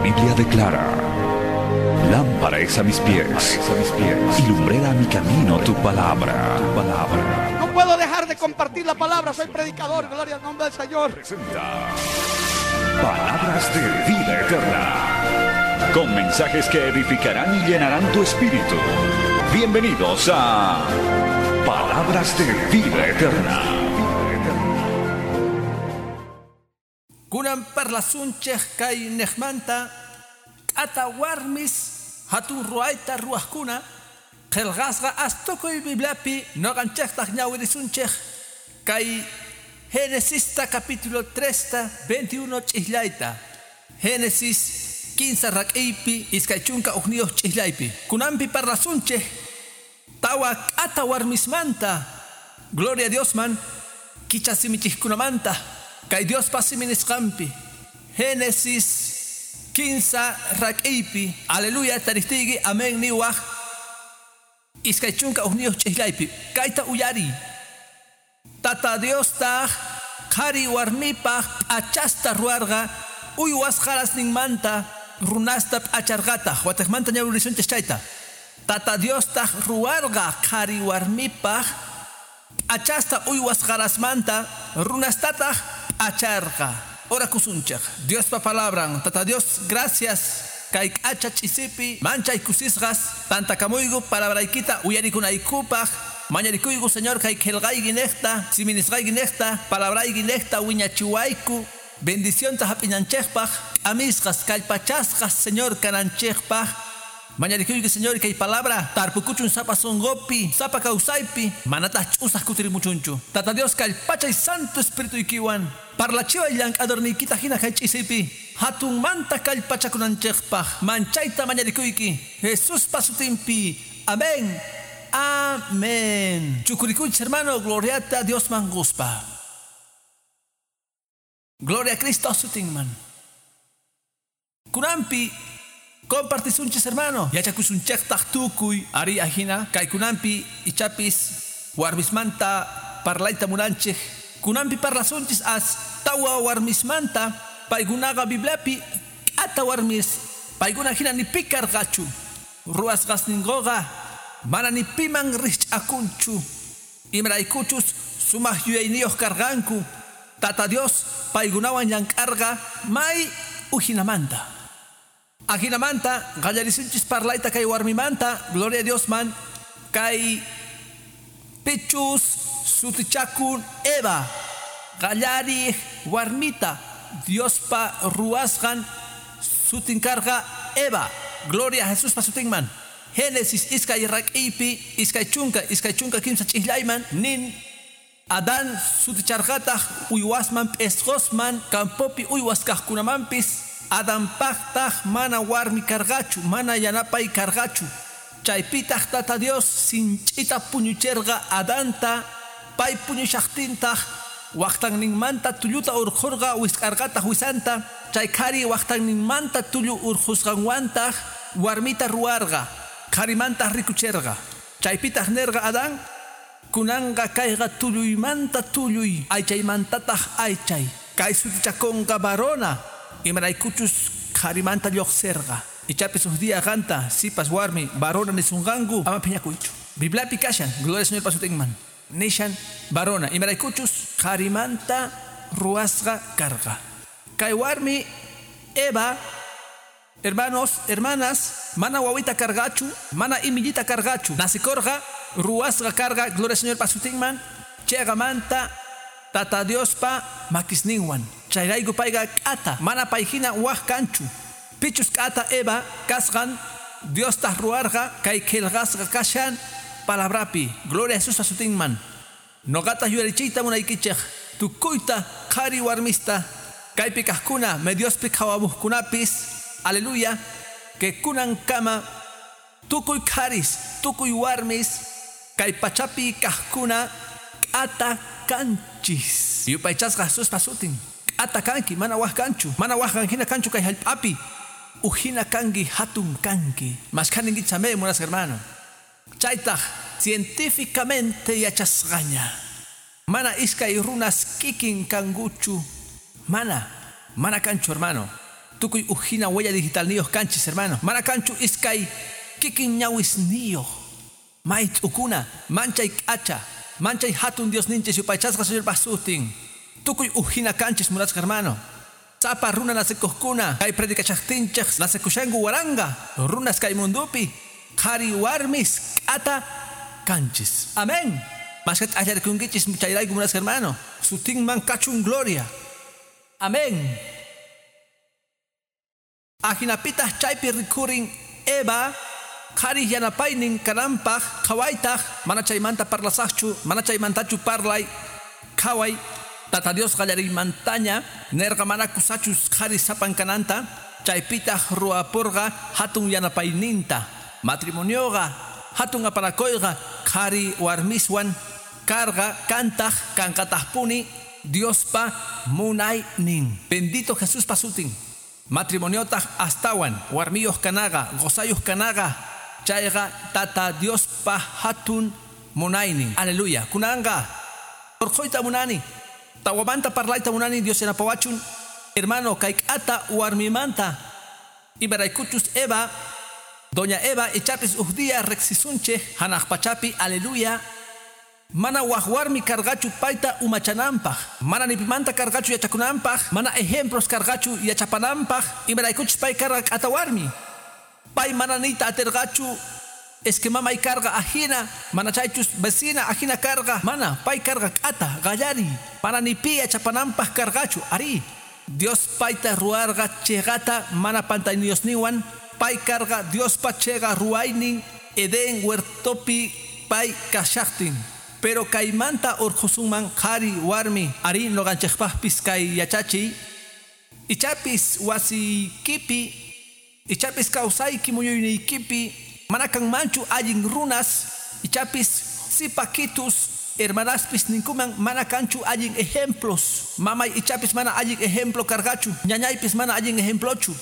Biblia declara: Lámpara es a mis pies, y lumbrera a mi camino tu palabra. Tu palabra. No puedo dejar de compartir la palabra, soy predicador, gloria al nombre del Señor. Presenta Palabras de Vida Eterna, con mensajes que edificarán y llenarán tu espíritu. Bienvenidos a Palabras de Vida Eterna. Kunan parlasunchej kay nejmanta k'ata warmis hatun ruayta ruwajkuna qillqasqa astukuy Bibliapi noqanchejtaq ñawirisunchej kay Génesista capítulo 3 21 ch'ijllayta Génesis 15 rak'iypi 21 ch'ijllaypi kunanpi parlasunchej tawa k'ata warmismanta gloria a Diosman kichasimichijkunamanta kay Diospa siminisqanpi Génesis 15 rak'iypi aleluya taristigi amén niwaj 21 ch'ijllaypi kayta uyari Tata Diostaq qhari warmipaq p'achasta ruwarqa uywas qarasninmanta runasta p'acharqataq wataqmanta ñawirisunchis chayta Tata Diostaq ruwarqa qhari warmipaq p'achasta uywas qarasmanta runastataq p'acharqa. Orakusunchaq Diospa palabran. Tata Dios, gracias. Kay k'acha ch'isipi manchay kusisqas tantakamuyku palabraykita uyarikunaykupaq mañarikuyku Señor kay qillqayki niqta siminisqayki niqta palabrayki niqta wiñachiwayku bendicionta hap'inanchikpaq k'amisqas kallpachasqas Señor kananchikpaq mañarikuyki Señor kay palabra tarpukuchun sapa sunqupi sapa kawsaypi manataq ch'usaq kutirimuchunchu. Tata Dios kallpachay Santo Espirituykiwan parlachiway llank'adorniykita hina kay ch'isipi hatunmanta kallpachakunanchikpaq manchayta mañarikuyki Jesuspa sutinpi. Amén. Amén. Chukurikuychis hermano, gloriata Diosman guspa. Gloria a Cristo sutinman. Kunanpi compartisunchis hermano, yachakusunchejtaq tukuy ari ajina kay kunanpi ichapis warmismanta parlayta munanchej. Kunanpi parlasunchis as tawa warmismanta paykunaqa Bibliapi k'ata warmis paykuna hina ni pi karqachu ruwasqasninkuqa mana ni piman rich'akunchu imaraykuchus sumaq yuyayniyuq karqanku. Tata Dios paykunawan llank'arqa may ujinamanta. Ajinamanta qallarisunchis parlayta kay warmimanta gloria a Diosman kay pichus sutichakun Eva qallariq warmita Diospa ruwasqan sutinkarqa Eva. Gloria a Jesuspa sutinman. Génesis iskay rak'iypi 23 ch'ijllayman nin Adán suticharqataq uywasman p'isqosman campopi uywas kaqkunamanpis Adanpaqtaq mana warmi karqachu mana yanapay karqachu. Chaypitaq Tata Dios sinch'ita puñucherqa Adanta pay puñushaqtintaq waqtanninmanta tulluta urqhurqa wisq'arqataq wisanta chay qhari waqtanninmanta tullu urqhusqanwantaq warmita ruwarqa qharimantaq rikucherqa. Chaypitaq nerqa Adán kunanqa kayqa tulluymanta tulluy aychaymantataq aychay kay sutichakunqa varona imaraykuchus qharimanta lluqsirqa. Ichapis huk día qanta sipas warmi varona nisunqanku ama phiñakuychu. Bibliapi kashan gloria al Señor pasutinman nishan varona imaraykuchus qharimanta ruwasqa karqa. Kay warmi Eva, hermanos, hermanas, mana wawita karqachu, mana imillita karqachu. Nasikorqa ruwasqa karqa gloria al Señor pasutinman chayqamanta Tata Diospa makisninwan. Chayrayku payqa k'ata mana payhina waq kanchu. Pichus k'ata Eva kasqan Diostaq ruwarqa kay qillqasqa kashan palabrapi. Gloria a Jesús sutinman. Noqataq yuyarichiyta munaykichej tukuyta qhari warmista kaypi kaqkuna mediospi qhawamuqkunapis aleluya que kunankama tukuy qharis tukuy warmis kay pachapi kaqkuna k'ata kanchis. Yupaychasqa Jesuspa sutin. K'ata kanki mana waq kanchu mana waq hina kanchu kay hallp'api ujina kanki hatun kanki. Mashkhaninki chamé munasqa hermano. Chaytaq científicamente yachasqaña mana iskay runas kikin kankuchu mana kanchu hermano. Tukuy ujina huella digitalniyuq kanchis, hermano. Mana kanchu iskay kikin ñawisniyuq. May t'ukuna, manchay k'acha, manchay hatun Diosninchis yupaychasqa Señorpa sutin. Tukuy ujina kanchis, munasqa hermano. Sapa runa nasikuqkuna, kay predicachaqtinchik nasikushanku waranga, runas kay mundupi, qhari warmis k'ata kanchis. Amén. Maskat allarikunkichis chayrayku, munasqa hermano. Sutinman kachun gloria. Amén. Ajinapitaq chaypi rikurin Eva, qhari yanapaynin kananpaq qhawaytaq, mana chaymanta parlasaqchu, mana chaymantachu parlay, qhaway, Tata Dios qallariymantaña nerqa mana kusachus qhari sapan kananta, chaypitaq ruwapurqa hatun yanapayninta. Matrimonioqa, hatun apanakuyqa qhari warmiswan karqa kantaq kanqataqpuni Diospa munaynin. Bendito Jesuspa sutin. Matrimoniotaq astawan warmiyuq kanaqa, qusayuq kanaqa, chayqa Tata Diospa hatun munaynin. Aleluya. Kunanqa urqhuyta munani. Tawamanta parlayta munani Dios yanapawachun. Hermano, kay k'ata warmimanta. Imaraykuchus Eva, Doña Eva ichapis uj día riqsisunchik hanaq pachapi, aleluya. Mana waj warmi karqachu payta umachananpaq, mana ni pimanta karqachu yachakunanpaq, mana ejemplos karqachu yachapananpaq, imaraykuchus pay karqa k'ata warmi. Pay mana niyta atirqachu, es que mamay karqa ajina, mana chaychus vecina ajina karqa, mana pay karqa k'ata, qallari, mana ni pi yachapananpaq karqachu, ari. Dios payta ruwarqa chiqata mana pantayniyusninwan, pay karqa Diospa chiqa ruwaynin Edén huertopi pay kashaqtin. Pero kaymanta urqhusunman qhari warmi, ari nuqanchikpaqpis kay yachachiy, ichapis wasiykipi, ichapis kawsayki muyuyniykipi, mana kanmanchu allin runas, ichapis sipakitus, hermanaspis ninkuman mana kanchu allin ejemplos. Mamay ichapis mana allin ejemplo karqachu, ñañaypis mana allin ejemplochu.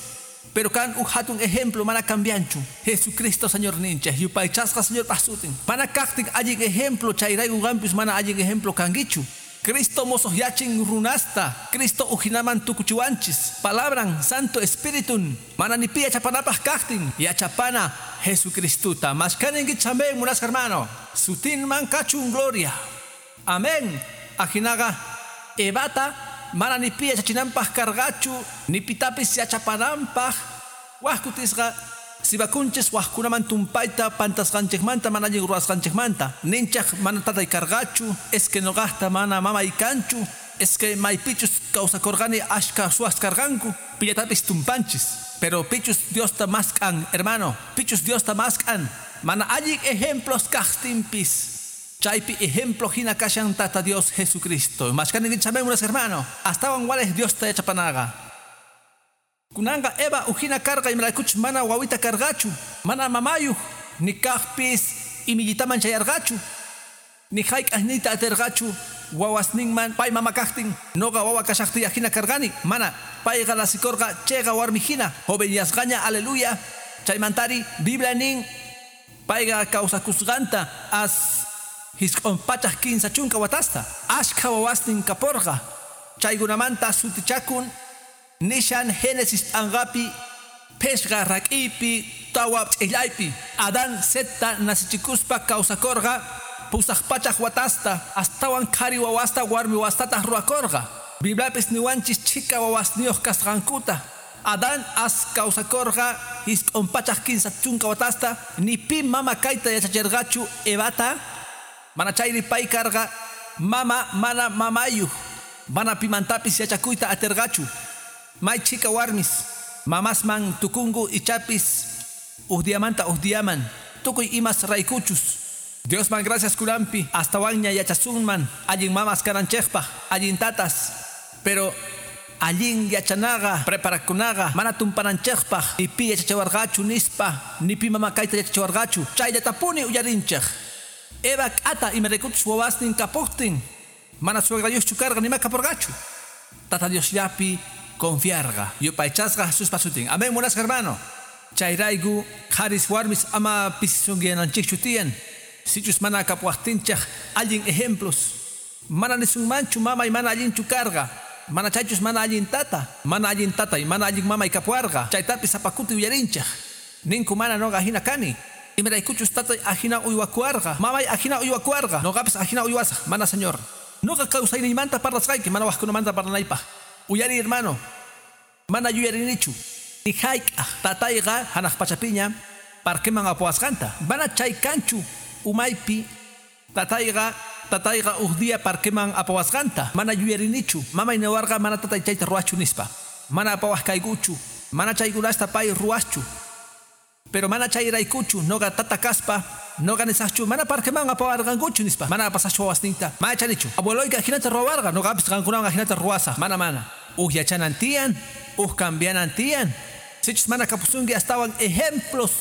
Pero kan uj hatun ejemplo mana cambianchu. Jesucristo Señor ninchik, yupaychasqa Señorpa sutin. Mana kaqtin allin ejemplo, chayrayku qampis mana allin ejemplo kankichu. Cristo mosoqyachin runasta, Cristo ujinaman tukuchiwanchis. Palabran, Santo Espiritun, mana ni pi yachapanapaq kaqtin, yachapana Jesucristuta. Mashkaninkichik amén, munasqa hermano. Sutinman kachun gloria. Amén. Ajinaqa Evata mana ni pi yachachinanpaq karqachu, ni pitapis yachapananpaq. Waj kutisqa sibakunchis wajkunaman tumpayta pantasqanchikmanta mana allin ruwasqanchikmanta. Ninchaq mana tatay karqachu, es que nuqaqta mana mamay kanchu, es que maypichus kawsakurqani ashka suwas karqanku, pillatapis tumpanchis. Pero pichus Diosta mask'an, hermano, pichus Diosta mask'an. Mana allin ejemplos kaqtinpis. Chaypi ejemplo hina kashan Tata Dios Jesucristo. Mashkaninkichik amén, hermano. Astawan walej Diosta yachapanaqa. Kunanqa Eva ujina karqa imaraykuchus mana wawita karqachu, mana mamayuq, ni kaqpis imillitaman chayarqachu, ni hayk'aq niyta atirqachu wawasninman pay mama kaqtin, nuqa wawa kashaqtiy ajina karqani, mana payqa nasikurqa chayqa warmi hina, jovenyasqaña, aleluya. Chaymantari Biblia nin payqa kawsakusqanta as 930 watasta, ashkha wawasnin kapurqa, chaykunamanta sutichakun nishan Génesis p'anqapi, phishqa rak'iypi, tawa ch'illaypi. Adán Setta nasichikuspa kawsakurqa 800 watasta, astawan qhari wawasta warmi wawastataq ruwakurqa. Bibliapis niwanchis chhika wawasniyuq kasqankuta. Adán as kawsakurqa 930 watasta, ni pi mama kayta yachachirqachu Evata, mana chayri pay karqa mama mana mamayuq, mana pimantapis yachakuyta atirqachu. May chhika warmis mamasman tukunku ichapis uj diamanta uj diaman, tukuy imas raykuchus. Diosman gracias kunanpi, astawanña yachasunman allin mamas kananchikpaq, allin tatas, pero allin yachanaqa, preparakunaqa, mana tumpananchikpaq, ni pi yachachiwarqachu nispa, ni pi mama kayta yachachiwarqachu, chayllatapuni uyarinchik. Eva k'ata imaraykuchus wawasnin kapuqtin, mana suegrayuqchu karqa nima kapurqachu. Tata Diosllapi confiarqa. Yupaychasqa Jesuspa sutin. Amén, munasqa hermano. Chayrayku qharis warmis ama pisisunkiyananchikchu tiyan. Sichus mana kapuwaqtinchik allin ejemplos. Mana nisunmanchu mamay mana allinchu karqa. Mana chaychus mana allin tata, mana allin tatay, mana allin mamay kapuwarqa. Chaytapis sapa kuti uyarinchej. Ninku mana noqa ajina kani. Imaraykuchus tatay ajina uywakuwarqa, mamay ajina uywakuwarqa, noqapis ajina uywasaj. Mana, señor. Noqa kawsayniymanta parlasqayki, mana wajkunamanta parlanaypaj. Uyari, hermano. Mana yuyarinichu. Ni hayk'aj tatayqa hanaq pachapiña parqueman apuwasqanta. Mana chay kanchu umaypi tatayqa uj día parqueman apawasqanta. Mana yuyarinichu. Mamay niwarqa mana tatay chayta ruwachu nispa. Mana apawaj kaykuchu. Mana chaykunasta pay ruwaschu. Pero mana chayraykuchu noqa tata kaspa noqa nisaqchu mana parqueman apawarqankuchu nispa. Mana apasaqchu wawasninta. Mana chanichu. Abueloyqa ajinata ruwawarqa. Noqapis qankunawan ajinata ruwasaq. Mana mana. Uj yachanan tiyan, uj cambianan tiyan. Sichus mana kapusunki astawan ejemplos.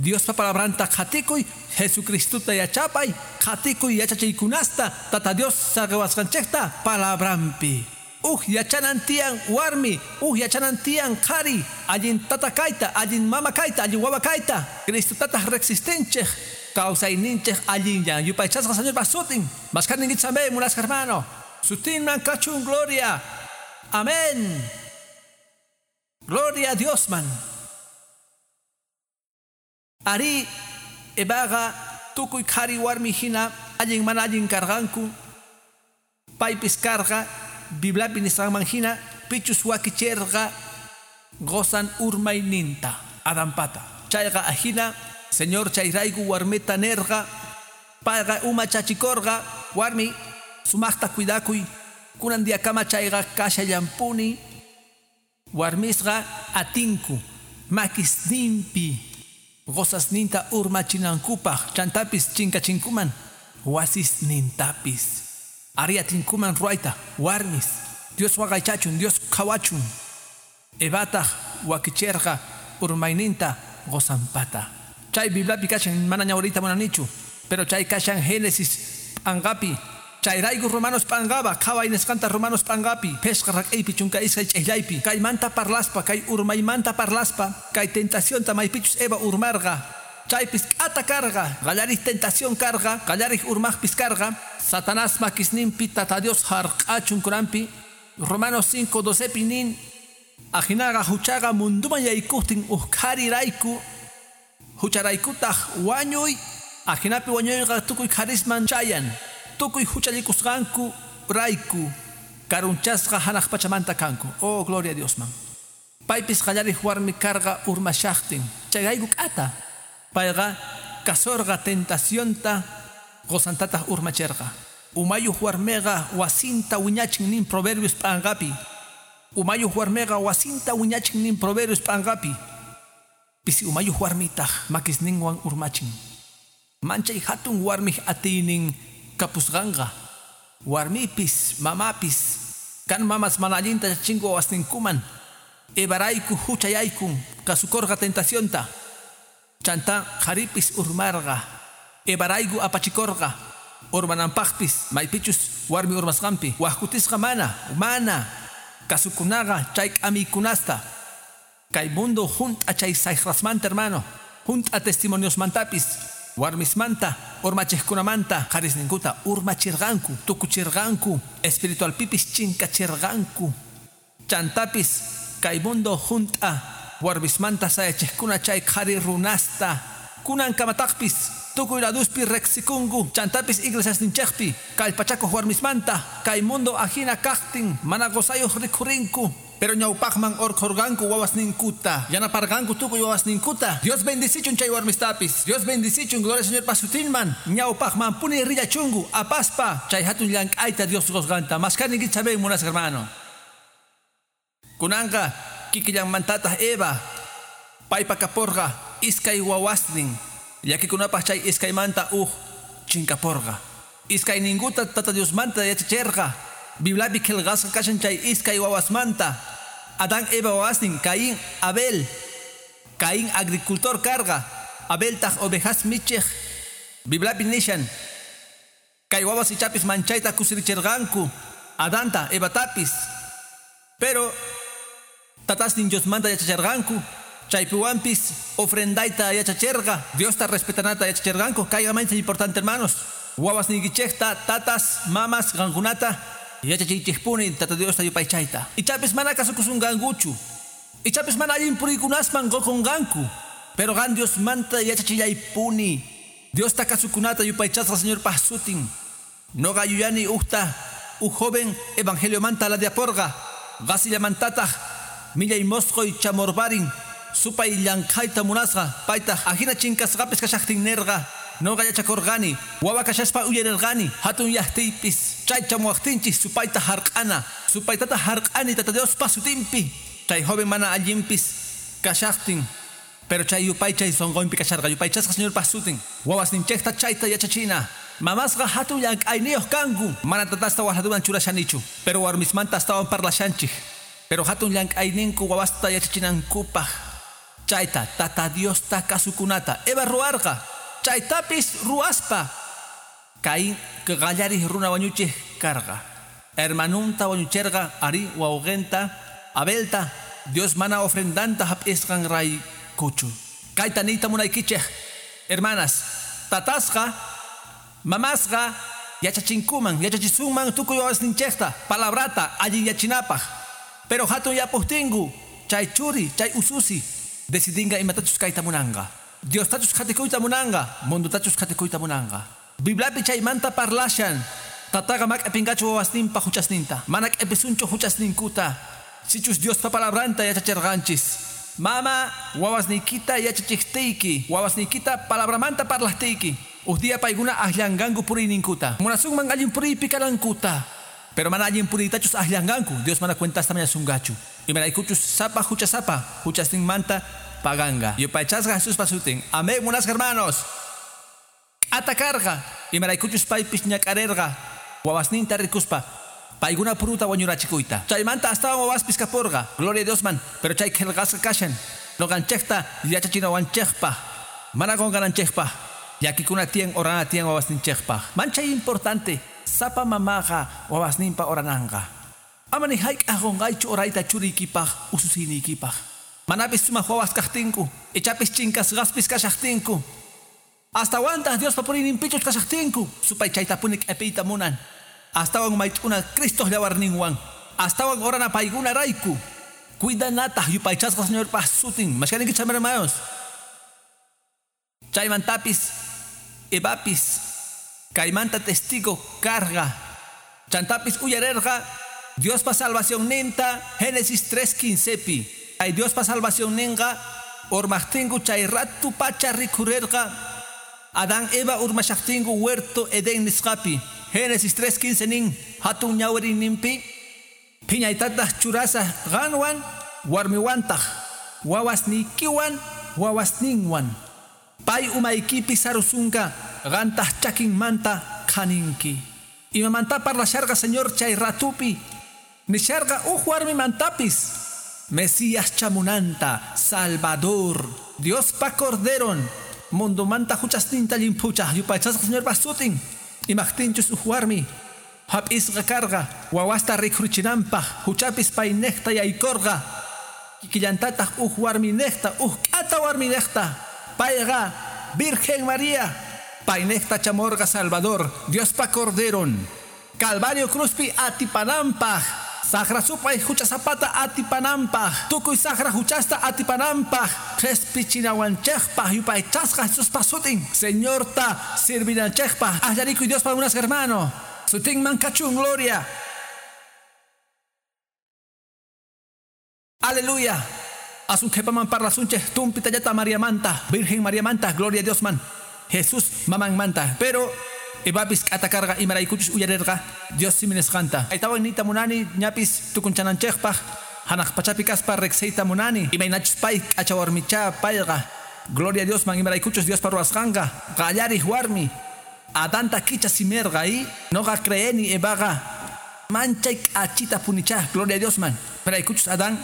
Diospa palabranta qhatikuy, Jesucristuta yachapay, qhatikuy yachachiykunasta, Tata Dios saqiwasqanchikta palabranpi. Uj yachanan tiyan warmi, uj yachanan tiyan qhari, allin tata kayta, allin mama kayta, allin wawa kayta. Cristutataq resistinchik, kawsayninchik allinyan. Yupaychasqa Señorpa sutin. Maskarninkichik amén, munasqa hermano. Sutinman kachun gloria. Amén. Gloria a Dios man. Ari Evaqa tukuy qhari warmi hina allin mana allin karqanku. Paypis karqa Bibliapi nisqanman hina pichus wakicherqa qosan urmayninta Adanpata. Chayqa ajina Señor chayrayku warmita nerqa payqa umachachikorqa warmi sumaqta cuidakuy kunan diakama chayqa kashallampuni warmisqa atinku makisninpi qosasninta urmachinankupaj chantapis chinkachinkuman wasisnintapis. Ari atinkuman ruwayta warmis Dios waqaychachun, Dios qhawachun. Evataq wakicherqa urmayninta qosanpata. Chay Bibliapi kashan mana ñawriyta munanichu, pero chay kashan Génesis p'anqapi. Chayrayku Romanos p'anqaba, qhaway nisqanta Romanos p'anqapi, phishqa rak'iypi chunka iskay ch'ijllaypi, kaymanta parlaspa, kay urmaymanta parlaspa, kay tentacionta maypichus Eva urmarqa. Chaypis k'ata karqa, qallarij tentación karqa, qallarij urmaqpis karqa, Satanás makisninpi Tata Dios hark'achun kunanpi. Romanos 5:12 nin, ajinaqa huchaqa munduman yaykuqtin uj qharirayku, hucharaykutaq wañuy, ajinapi wañuyqa tukuy qharisman chayan. Tukuy huchallikusqanku rayku karunchasqa hanaq pachamanta kanku. Oh, gloria a Dios man. Paypis qallarij warmi karqa urmashaqtin. Chayrayku k'ata. Payqa kasorqa tentacionta qosantataq urmacherqa. Umayuq warmiqa wasinta wiñachin nin Proverbios p'anqapi. Umayuq warmiqa wasinta wiñachin nin Proverbios p'anqapi. Pisi umayuq warmitaq makisninwan urmachin. Manchay hatun warmiq atiynin kapusqanqa. Warmipis, mamapis, kan mamas mana allinta yachachinku wawasninkuman. Evarayku huchayaykun kasukorqa tentacionta. Chanta qharipis urmarqa. Evarayku apachikorqa. Urmananpaqpis maypichus warmi urmasqanpi. Wajkutisqa mana, mana. Kasukunaqa chay k'amiykunasta. Kay mundo junt'a chay sayqrasmanta, hermano. Junt'a testimoniosmantapis. Warmismanta, urmachiqkunamanta, qharisninkuta urmachirqanku, tukuchirqanku, espiritualpipis chinkachirqanku. Chantapis kay mundo junt'a warmismanta sayachiqkuna chay qhari runasta. Kunankamataqpis tukuy laduspi riqsikunku, chantapis iglesiasninchikpi kallpachakuq warmismanta, kay mundo ajina kaqtin mana qusayuq rikhurinku. Pero ñawpaqman urqhurqanku wawasninkuta, yanaparqanku tukuy wawasninkuta. Dios bendicichun chay warmistapis. Dios bendicichun, gloria al Señor pasutinman. Ñawpaqman puni rillachunku apaspa chay hatun llank'ayta Dios qusqanta. Maskarninkichik amén, munasqa hermano. Kunanqa kikillanmantataq Eva paypa kapurqa iskay wawasnin. Llakikunapaq chay iskaymanta uj chinkapurqa. Iskayninkuta Tata Diosmanta yachacherqa. Bibliapi qillqasqa kashan chay iskay wawasmanta. Adán Eva wawasnin, Caín, Abel. Caín agricultor karqa, Abeltaq ovejas michiq. Bibliapi nishan kay wawas ichapis manchayta kusirichirqanku Adanta, Evatapis. Pero tatasnin Diosmanta yachacherqanku. Chaypiwanpis ofrendayta yachacherqa, Diosta respetanata yachacherqanku. Kayqa mayta importante, hermanos. Wawasniykichikta tatas, mamas, qankunata Yachachiychikpuni Tata Diosta yupaychayta. Ichapis mana kasukusunqankuchu. Ichapis mana allin puriykunasman qukunqanku. Pero qan Diosmanta yachachillaypuni. Diosta kasukunata yupaychasqa Señorpaq sutin. Noqa yuyani ujta uj joven evangeliomanta ladiaporqa. Qasillamantataq millay mosqoy chamorbarin. Supay llankhayta munasqa paytaq ajina chinkasqapis kashaqtin nerqa. Noqa yachakurqani, wawa kashaspa uyarirqani, hatun yaqtiypis chay chamuwaqtinchik supayta hark'ana, supaytata hark'ani Tata Diospa sutinpi. Chay joven mana allinpis kashaqtin, pero chay yupaychay sunqunpi kasharqa, yupaychasqa Señorpa sutin. Wawasninchikta chayta yachachina. Mamasqa hatun llank'ayniyuq kanku, mana tatasta waqladuman churashanichu, pero warmismanta astawan parlashanchik. Pero hatun llank'ayninku wawasta yachachinankupaq. Chayta Tata Diosta kasukunata Eva ruwarqa. Chaytapis ruwaspa. Caín qallariq runa wañuchiq karqa. Hermanunta wañucherqa ari wawqinta Abelta Dios mana ofrendanta hap'isqan raykuchu. Kayta niyta munaykichik hermanas, tatasqa, mamasqa yachachinkuman, yachachisunman tukuy wawasninchikta palabrata allinyachinapaq. Pero hatun yapuqtinku chay churi, chay ususi decidinqa imatachus kayta munanqa. Diostachus qhatikuyta munanqa, mundutachus qhatikuyta munanqa. Bibliapi chaymanta parlashan. Tataqa mak'apinqachu wawasninpa huchasninta. Mana k'episunchu huchasninkuta. Sichus Diospa palabranta yachacherqanchis. Mama, wawasniykita yachachiqtiyki, wawasniykita palabramanta parlaqtiyki. Uj día paykuna akllanqanku puriyninkuta. Munasunman allin puriypi kanankuta. Pero mana allin puriytachus akllanqanku, Dios mana cuentasta mañasunqachu. Imaraykuchus sapa huchasapa, huchasninmanta paganqa. Yupaychasqa Jesuspa sutin. Amén, munasqa hermanos. Atakarqa. Imaraykuchus paypis ñak'arirqa. Wawasninta rikuspa. Paykuna puruta wañurachikuyta. Chaymanta astawan wawaspis kapurqa. Gloria a Diosman. Pero chay qillqasqa kashan. Nuqanchikta yachachinawanchikpaq. Mana qunqananchikpaq. Llakikuna tiyan orana tiyan wawasninchikpaq. Manchay importante. Sapa mamaqa wawasninpa orananqa. Ama ni hayk'aq qunqaychu orayta churiykipaq ususiniykipaq. Manapis sumaq wawas kaqtinku, ichapis chinkasqaspis kashaqtinku. Astawantaq Diospa puriyninpichus kashaqtinku, supay chaytapuni q'ipiyta munan. Astawan mayt'una Cristoq llawarninwan. Astawan orana paykuna rayku. Cuidanataq yupaychasqa Señorpaq sutin. Mashkaninkichik hermanos. Chaymantapis, Evapis, kaymanta testigo karqa. Chantapis uyarerqa Diospa salvacionninta Génesis 3:15pi. Ay Diospa salvacionninqa urmaqtinku chay ratu pacha rikhurerqa Adán Eva urmashaqtinku huerto Edén nisqapi. Génesis 3:15 nin hatun ñawiriyninpi phiñaytataq churasaq qanwan warmiwantaq wawasniykiwan wawasninwan. Pay umaykipi sarusunqa qantaq chakinmanta qhaninki. Imamanta parlasharqa Señor chay ratupi nisharqa uj warmimantapis Mesías chamunanta, Salvador, Diospa Corderon, mundomanta huchasninta llimphuchaq yupaychasqa Señorpa sutin. Imaqtinchus uj warmi hap'isqa karqa wawasta rikhurichinanpaq huchapis paynejta yaykurqa kikillantataq uj warminejta uj k'ata warminejta payqa Virgen María paynejta chamorqa Salvador, Diospa Corderon. Calvario cruzpi atipananpaq saqra supay huchasapata atipananpaq tukuy saqra huchasta atipananpaq qhispichinawanchikpaq yupaychasqa Jesuspa sutin. Señorta sirvinanchikpaq aklarikuy Diospa munasqa hermano. Sutinman kachun gloria. Aleluya. Asun qhipaman parlasunchik tumpitallata Mariamanta, Virgen Mariamanta, gloria a Diosman. Jesús mamanmanta. Pero Evapis k'atakarqa imaraykuchus uyarirqa Dios simi nisqanta. Aytawan niyta munani ñapis tukunchananchikpaq hanaq pachapi kaspa riqsiyta munani imaynachus pay k'acha warmicha payqa. Gloria a Diosman imaraykuchus Diospa ruwasqanqa qallariq warmi Adanta kicha simerqa y noqa creeni Evaqa manchay k'achita punicha. Gloria a Diosman. Imaraykuchus Adán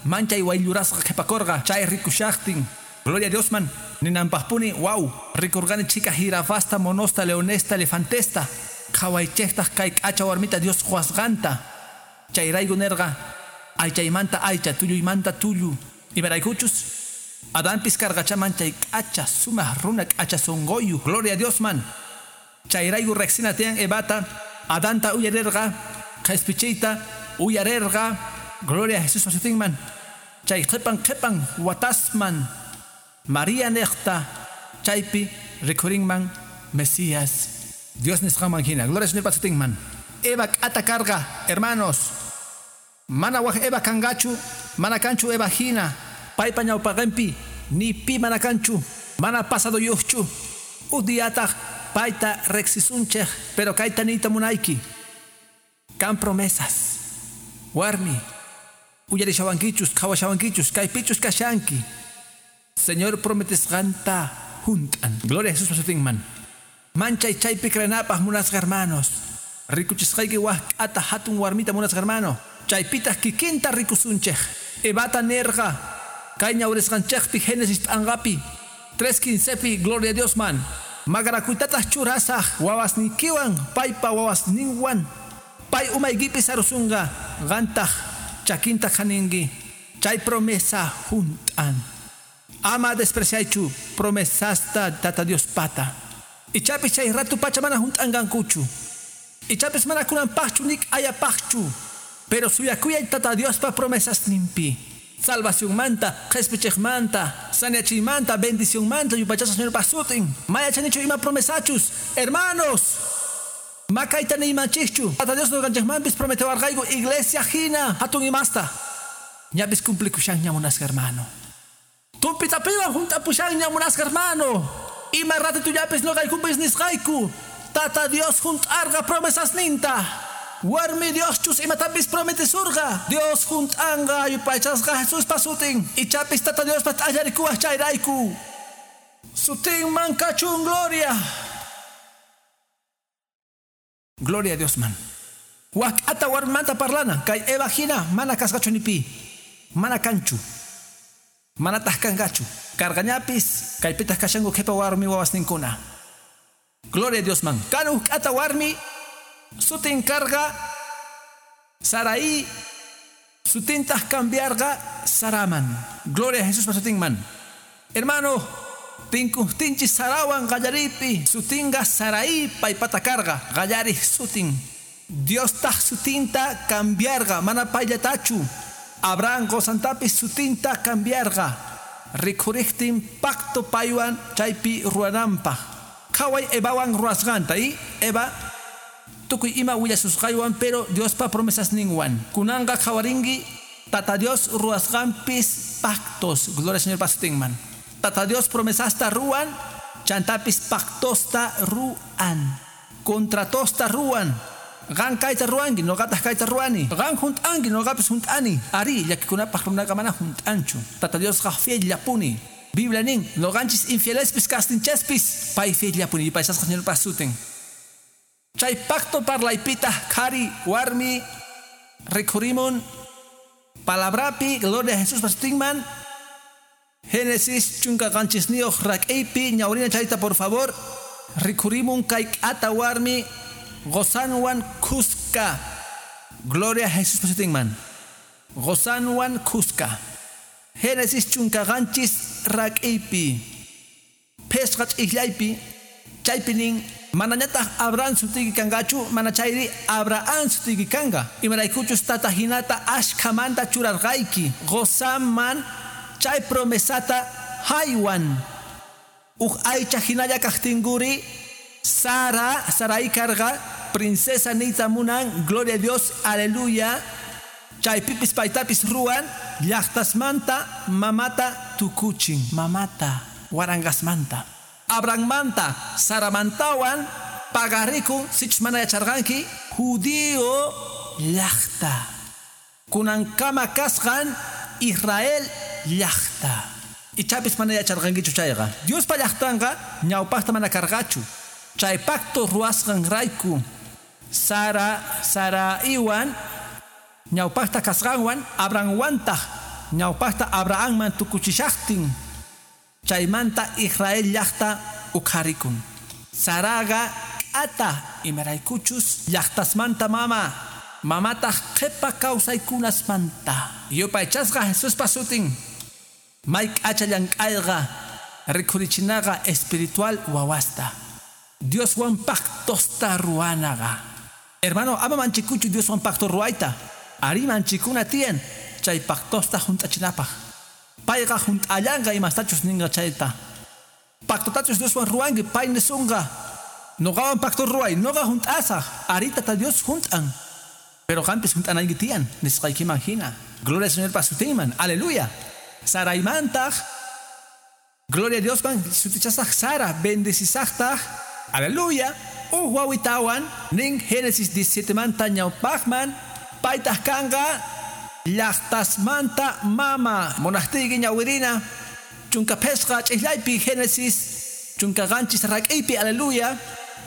manchay wayllurasqa qhipakurqa chay rikushaqtin. Gloria a Diosman. Ninanpaqpuni, wow, rikurqani chika jirafasta, monosta, leonesta, elefantesta. Qhawaychiktaq kay k'acha warmita Dios quwasqanta. Chayrayku nerqa aychaymanta aycha, tulluymanta tullu. Imaraykuchus Adanpis karqacha manchay k'acha sumaq runa k'acha sunquyu. Gloria a Diosman. Chayrayku riqsina tiyan Evata Adanta uyarirqa qhispichiyta uyarerqa. Gloria a Jesús sutinman. Chay qhipan qhipan watasman María niqta chaypi rikhurinman Mesías. Dios nisqanman hina. Gloria Señor sutinman. Eva k'ata karqa, hermanos. Mana waj Eva kangachu, mana kanchu Eva hina. Paypa ñawpaqinpi ni pi mana kanchu, mana pasado yuqchu. Udiataq payta riqsisunchik, pero kayta niyta munayki. Kan promesas. Warmi, uyarishawankichus, qhawashawankichus, kaypichus kashanki. Señor prometesqanta junt'an. Gloria a Jesús sutinman. Manchay chaypi creenapaq munasqa hermanos. Rikuchisqayki waj k'ata hatun warmita munasqa hermano. Chaypitaq kikinta rikusunchik. Evata nerqa kay ñawrisqanchikpi Génesis p'anqapi 3:15pi, gloria a Dios man. Maqanakuytataq churasaq wawasniykiwan paypa wawasninwan. Pay umaykipi sarusunqa, qantaq chakinta khaninki. Chay promesa junt'an. Ama despreciaychu promesasta Tata Dios pata. Ichapis chay ratu pacha mana junt'anqankuchu. Ichapis mana kunanpaqchu nik ayapaqchu. Pero suyakuyay Tata Diospa promesasninpi. Salvacionmanta, qhispichiqmanta, saneachimanta, bendicionmanta, yupaychasqa Señor sutin. Mayachanichu ima promesachus, hermanos. Makayta niymanchikchu. Tata Dios nuqanchikmanpis prometewarqayku iglesia hina hatun imasta. Ñapis cumplikushanña munasqa hermano. Tumpitapiwan junt'apushanña munasqa hermano. Ima ratitullapis nuqaykumpis nisqayku. Tata Dios junt'arqa promesasninta. Warmi Dios chus imatapis prometesurqa. Dios junt'anqa yupaychasqa Jesuspa sutin. Ichapis Tata Diospa t'allarikuwaq chayrayku. Sutinman kachun gloria. Gloria a Dios man. Wak ata warmanta parlana. Kay Eva hina mana kasqachu ni pi. Mana kanchu. Mana taq kanqachu. Karqañapis kaypitaq kashanku qhipa warmi wawasninkuna. Gloria a Dios man. Kan uj k'ata warmi sutin karqa Sarai, sutintaq cambiarqa Saraman. Gloria a Jesús sutinman. Hermano, tinkuqtinchis Sarawan qallaripi sutinqa Sarai paypata karqa qallariq sutin. Dios taq sutinta cambiarqa mana payllatachu. Abraham qusantapis sutinta cambiarqa. Rikhuriqtin pacto paywan chaypi ruwananpaq. Qhaway Evawan ruwasqanta y Eva tukuy ima willasusqaywan, pero Diospa promesasninwan. Kunanqa qhawarinki Tata Dios ruwasqanpis pactos. Gloria al Señor sutinman. Tata Dios promesasta ruwan, chantapis pactosta ruwan. Contratosta ruwan. Qan kayta ruwanki, nuqataq kayta ruwani. Qan junt'anki, nuqapis junt'ani. Ari, llakikunapaq runaqa mana junt'anchu. Tata Diosqa fiel-llapuni. Biblia nin, nuqanchis infielespis kastinchespis, pay fiel-llapuni. Yupaychasqa Señorpa sutin. Chay pacto parlaypita qhari warmi rikhurimun palabrapi, gloria a Jesús sutinman. Génesis 17 rak'iypi ñawrina chayta por favor. Rikhurimun kay k'ata warmi qosanwan khuska. Gloria a Jesús sutinman. Qosanwan khuska. Génesis 17 rak'iypi. Phesqa ch'ijllaypi chaypi nin manañataq Abraham sutiyki kanqachu, mana chayri Abraham sutiyki kanqa. Imaraykuchus tata hinata ashkhamanta churarqayki. Qosanman chay promesata haywan. Uj aycha hinalla kaqtinkuri Sara, Sarai karqa, princesa niyta munan, gloria a Dios, aleluya. Chaypipis paytapis ruwan, llaqtasmanta mamata tukuchin. Mamata, waranqasmanta. Abrahammanta, Saramantawan pagarikun, sichus mana yacharqanki, judío llaqta. Kunankama kasqan Israel llaqta. Ichapis mana yacharqankichu chayqa. Diospa llaqtanqa ñawpaqta mana karqachu. Chay pacto ruwasqanrayku Sara, Saraiwan ñawpaqta kasqanwan Abrahamwantaq ñawpaqta Abrahamman tukuchishaqtin. Chaymanta Israel llaqta ukharikun. Saraqa k'ata imaraykuchus llaqtasmanta mama. Mamataq qhipa kawsaykunasmanta. Yupaychasqa Jesuspa sutin. May k'acha llank'ayqa rikhurichinaqa espiritual wawasta. Dioswan pactosta ruwanaqa. Hermano, ama manchikuchu Dioswan pacto ruwayta. Ari manchikuna tiyan chay pactosta junt'achinapaq. Payqa junt'allanqa imastachus ninqa chayta. Pactotachus Dioswan ruwanki, pay nisunqa. Noqawan pacto ruway, noqa junt'asaq. Ari Tata Dios junt'an. Pero qampis junt'anayki tiyan, nisqaykiman hina. Gloria al Señor sutinman. Aleluya. Saraymantaq. Gloria a Dios man sutichasaq Sara, bendecisaqtaq. Aleluya. Uj wawitawan nin Génesis 17 manta ñawpaqman paytaq kanqa llaqtasmanta mama. Munaqtiyki ñawirina chunka phesqa ch'ijllaypi Génesis chunka qanchis rak'iypi. Aleluya.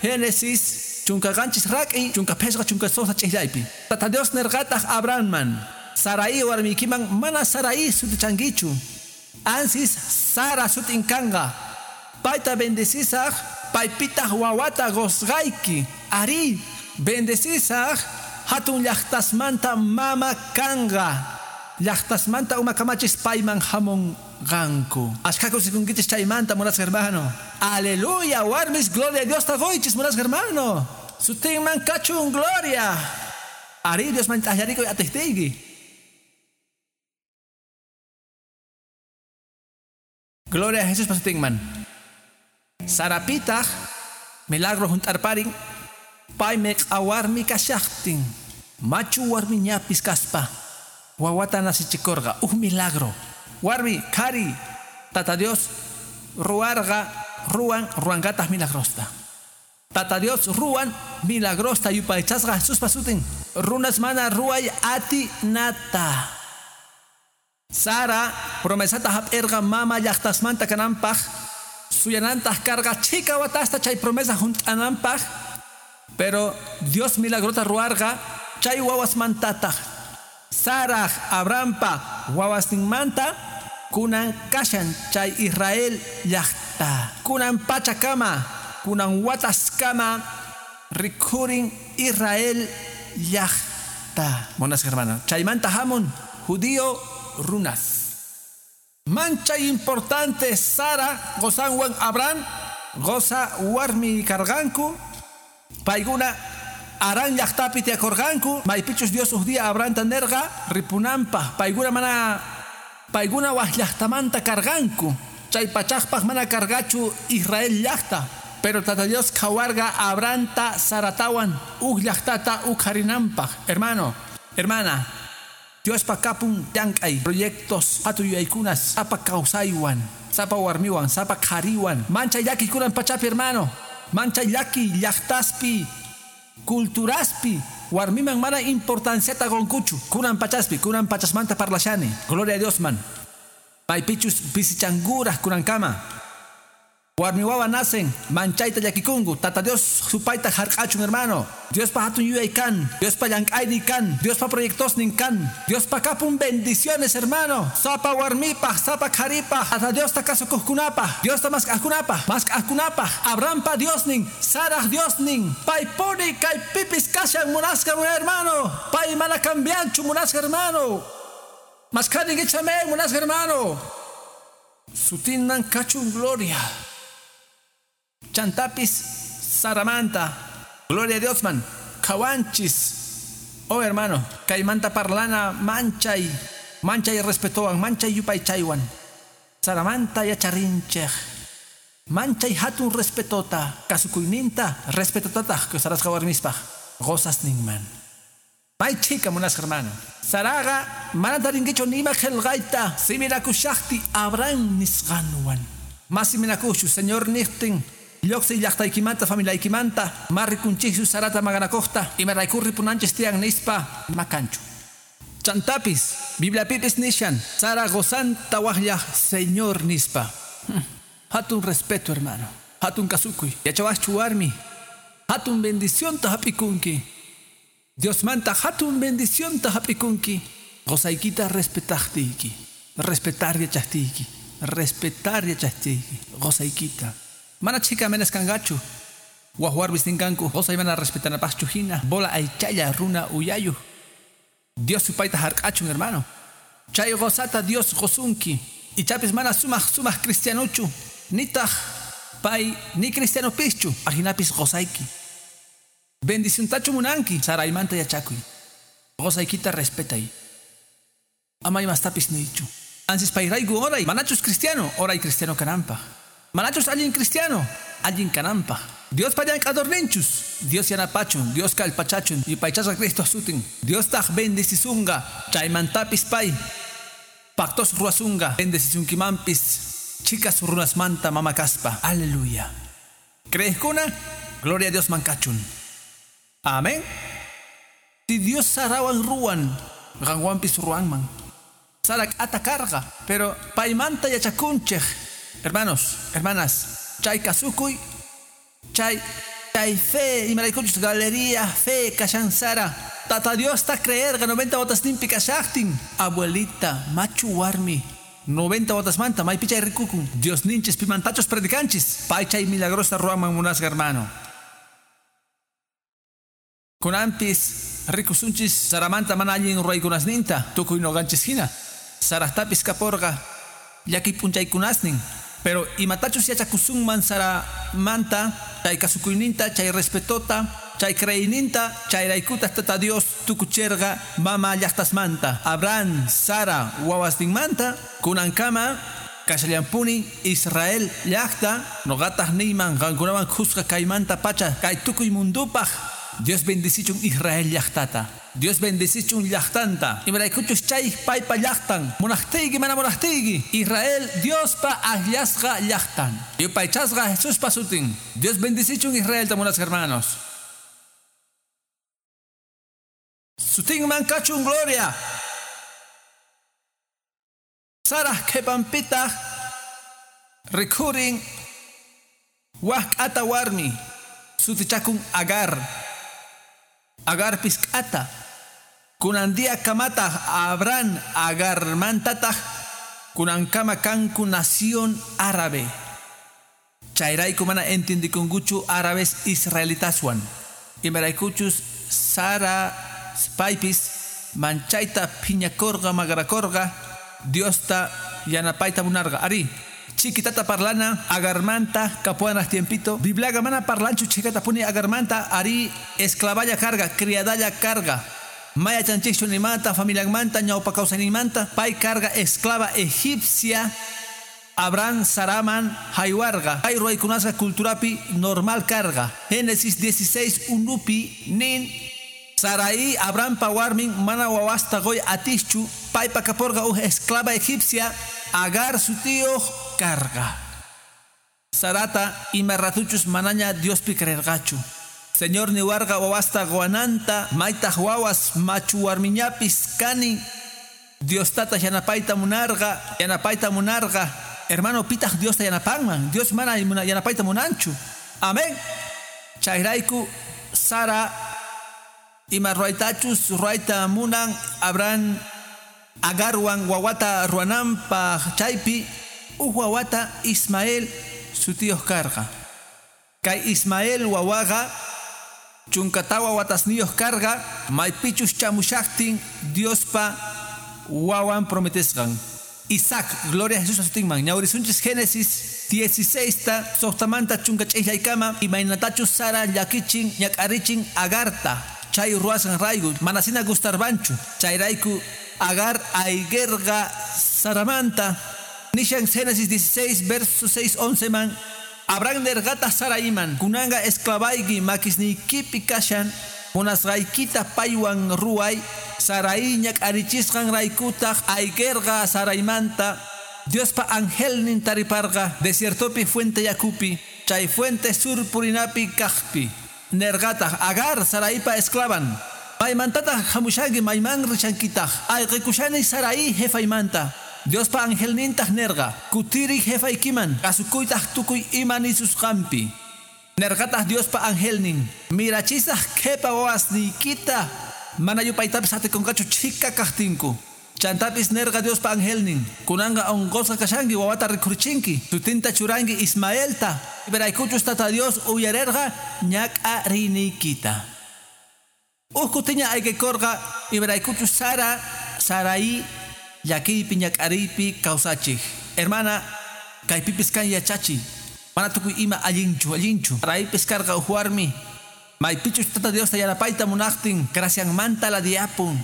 Génesis chunka qanchis rak'i chunka phesqa chunka suqta ch'ijllaypi. Tata Dios nirqataq Abrahamman, Sarai warmiykiman mana Sarai sutichankichu, ansis Sara sutin kanqa. Payta bendecisaq, paypitaq wawata qusqayki. Ari bendecisaq, hatun llaqtasmanta mama kanqa. Llaqtasmanta umakamachis payman hamunqanku. Ashkha kusikunkichis chaymanta, munasqa hermano. Aleluya, warmis, gloria a Dios taquychis, munasqa hermano. Sutinman kachun gloria. Ari Dios man t'allarikuy atiqtiyki. Gloria a Jesús pasutinman. Sarapitaq milagro junt'arparin, paymi q'awarmi kashaqtin, machu warmiñapis kaspa wawata nasichikurqa. Uj milagro. Warmi, qhari, Tata Dios ruwarqa, ruwan, ruwanqataq milagrosta. Tata Dios ruwan milagrosta yupaychasqa Jesuspa sutin. Runas mana ruway atinata. Sara promesata hap'irqa mama llaqtasmanta kananpaq, suyanantaq karqa chhika watasta chay promesa junt'ananpaq, pero Dios milagrota ruwarqa chay wawasmantataq. Saraj Abrahampa wawasninmanta kunan kashan chay Israel llaqta. Kunan pachakama, kunan wataskama rikhurin Israel llaqta. Munasqa hermano, chaymanta hamun judío runas. Manchay importante Sara qosanwan Abraham qosa warmi karqanku. Paykuna Harán llaqtapi tiyakurqanku, maypichus Dios uj día Abrahamta nirqa ripunanpaq. Paykuna mana paykuna waj llaqtamanta karqanku. Chay pachaqpaq mana karqachu Israel llaqta. Pero Tata Dios qhawarqa Abrahamta Saratawan uj llaqtata uqharinanpaq. Hermano, hermana, Diospa kapun llank'ay proyectos hatun yuyaykunas sapa kawsaywan, sapa warmiwan, sapa qhariwan. Manchay llaki kunan pachapi, hermano. Manchay llaki llaqtaspi, culturaspi, warmiman mana importanciata qunkuchu. Kunan pachaspi, kunan pachasmanta parlashani. Gloria a Dios man. Maypichus pisichanguraj kunankama. Warmi wawa nacen, manchayta llakikunku. Tata Dios supayta hark'achun, hermano. Diospa hatun yuyay kan, Diospa llank'aynin kan, Diospa proyectosnin kan, Diospa kapun bendiciones, hermano. Sapa warmipaj, sapa qharipaj, Tata Diosta kasukuqkunapaj, Diosta mask'aqkunapaj, mask'aqkunapaj, Abrahampa Diosnin, Saraj Diosnin, paypuni kaypipis kashan munasqa hermano. Pay mana cambianchu munasqa hermano. Mask'aninkichik amén munasqa hermano. Sutinman kachun gloria. Chantapis Saramanta. Gloria a Dios man. Kawanchis. Oh hermano, kaymanta parlana manchay, manchay respetowan, manchay yupaychaywan. Saramanta yacharinchej. Manchay hatun respetota, kasukuyninta respetotataq kusarasqa warmispaq qosasninman. May chhika munasqa hermano. Saraqa mana tarinkichu nima qillqayta siminakushaqti Abraham nisqanwan. Mas siminakushu Señor niqtin lluqsiy llaqtaykimanta familiaykimanta ma rikunchikchu Sarata maqanakuqta imarayku ripunanchis tiyan nispa makanchu. Chantapis Bibliapipis nishan Sara qosanta waqllaq Señor nispa. Hatun respeto, hermano. Hatun kasukuy. Yachawaqchu warmi. Hatun bendicionta hap'ikunki. Diosmanta hatun bendicionta hap'ikunki. Qosaykita respetaqtiyki. Respetar yachaqtiyki. Respetar yachaqtiyki. Qosaykita. Mana chhika menas kanqachu. Waj warmis ninkanku qosay mana respetanapaqchu hina. Bola aychalla runa uyayuq. Dios supayta hark'achun, hermano. Chay qosata Dios qosunki. Ichapis mana sumaq sumaq cristianochu. Nitaq pay ni cristianopischu. Ajinapis qosayki. Bendiciontachu munanki, Saraymanta yachakuy. Qosaykita respetay. Ama imastapis niychu. Ansis payrayku oray, manachus cristiano, oray cristiano kananpaq. Manachus allin cristiano, allin kananpaq. Dios pallank'adorninchus, Dios yanapachun, Dios kallpachachun, yupaychasqa Cristo sutin. Dios taq bendecisunqa, chaymantapis pay. Pactos ruwasunqa, bendecisunkimanpis, chicas runasmanta mama kaspa. Aleluya. Creeskuna, gloria a Dios mankachun. Amén. Si Dios Sarawan ruwan, qanwanpis ruwanman. Sara k'ata karqa, pero paymanta yachakunchej. Hermanos, hermanas, chay kasukuy, chay fe, imaraykuchus galería fe kashan Sara. Tata Dios ta creerqa 90 watasninpi kashaqtin. Abuelita, machu warmi. 90 watasmanta maypi chay rikukun. Dios ninchis pimantachos predicanchis. Pay chay milagrosa ruwanman munasqa, hermano. Kunampis rikusunchis Saramanta mana allin ruwaykunasninta tukuy noqanchis hina. Sarajtapis kaporqa llakiy p'unchaykunasnin. Pero imatachus yachakusunman Saramanta, chay kasukuyninta, chay respetota, chay creeyninta, chayraykutaj Tata Dios tukucherqa mama llaqtasmanta. Abraham, Sara wawasninmanta, kunankama kashallampuni Israel llaqta, noqataq niyman qankunawan khusqa kaymanta pacha kay tukuy mundupaq. Dios bendicichun Israel llaqtata. Dios bendicichun llaqtanta. Imaraykuchus chay paypa llaqtan. Munaqtiyki mana munaqtiyki. Israel Diospa akllasqa llaqtan. Yupaychasqa Jesuspa sutin. Dios bendicichun Israelta munasqa hermanos. Sutinman kachun gloria. Sarah qhipanpitaq rikhurin wak k'ata warmi sutichakun Agar. Agarpis k'ata. Kunan día kamataq Abraham Agarmantataq kunankama kanku nación árabe. Chayrayku mana entiendikunkuchu árabes israelitaswan. Imaraykuchus Sara paypis manchayta phiñakorqa magrakorqa Diosta yanapayta munarqa. Ari, chiquitata parlana Agarmanta kapuanaj tiempito. Bibliaqa mana parlanchu chikata puni Agarmanta. Ari esclavalla carga, criadalla carga. Maya chanchikchu nimanta, familianmanta, ñawpa kawsayninmanta, pay carga esclava egipcia. Abraham Saraman haywarqa. Pay ruwaykunasqa culturapi normal carga. Génesis 16 unupi nin Sarai Abrahampa warmin mana wawasta qoy atischu paypa kaporqa uj esclava egipcia Agar sutiyuq carga. Sarata ima ratuchus manaña Diospi creerqachu. Señor niwarqa wawasta qowananta maytaq wawas machu warmiñapis kani. Dios tata yanapayta munarqa, yanapayta munarqa. Hermano, pitaq Diosta yanapanman. Dios mana yanapayta munanchu. Amén. Chayrayku Sara ima ruwaytachus ruwayta munan Abraham Agarwan wawata ruwananpaq chaypi uj wawata Ismael sutiyuq karqa. Kay Ismael wawaqa 14 watasniyuq karqa maypichus chamushaqtin Diospa wawan prometesqan. Isaac, gloria a Jesús sutinman. Ñawrisunchis Génesis 16 ta suqtamanta 12 imaynatachus Sara llakichin ñak'arichin Agarta. Chay ruwasqan rayku manasina gustarbanchu. Chayrayku Agar ayguerqa Saramanta. Nishan Génesis 16 verso 6 11 man. Abraham nerqataq Saraiman kunanqa esclavayki makisniykipi kashan munasqaykita paywan ruway. Sarai ñak'arichisqan raykutaq ayguerqa Saraimanta. Diospa angelnin tariparqa desiertopi fuente yakupi chay fuente sur purinapi kaqpi. Nerqataq Agar Saraipa esclavan. Maymantataq hamushanki mayman rishankitaq ayqikushani Sarai jefaymanta. Diospa angelnintaq nerqa kutiri jefaykiman kasukuytaq tukuy ima nisusqanpi. Nerqataq Diospa angelnin mirachisaq qhipa wawasniykita mana yupaytapis atikunqachu chhika kaqtinku. Chantapis nerqa Diospa angelnin kunanqa unqusqa kashanki wawata rikhurichinki sutinta churanki Ismaelta. Imaraykuchus Tata Dios uyarerqa ñak'ariniykita. Uj kutiña ayqikorqa imaraykuchus Sara Sarai llakiypi ñak'ariypi kawsachik. Hermana, kaypipis kan yachachi. Mana tukuy ima allinchu allinchu. Saraipis karqa uj warmi Maypichus Tata Diosta yanapayta munaqtin, gracianmanta ladiapun.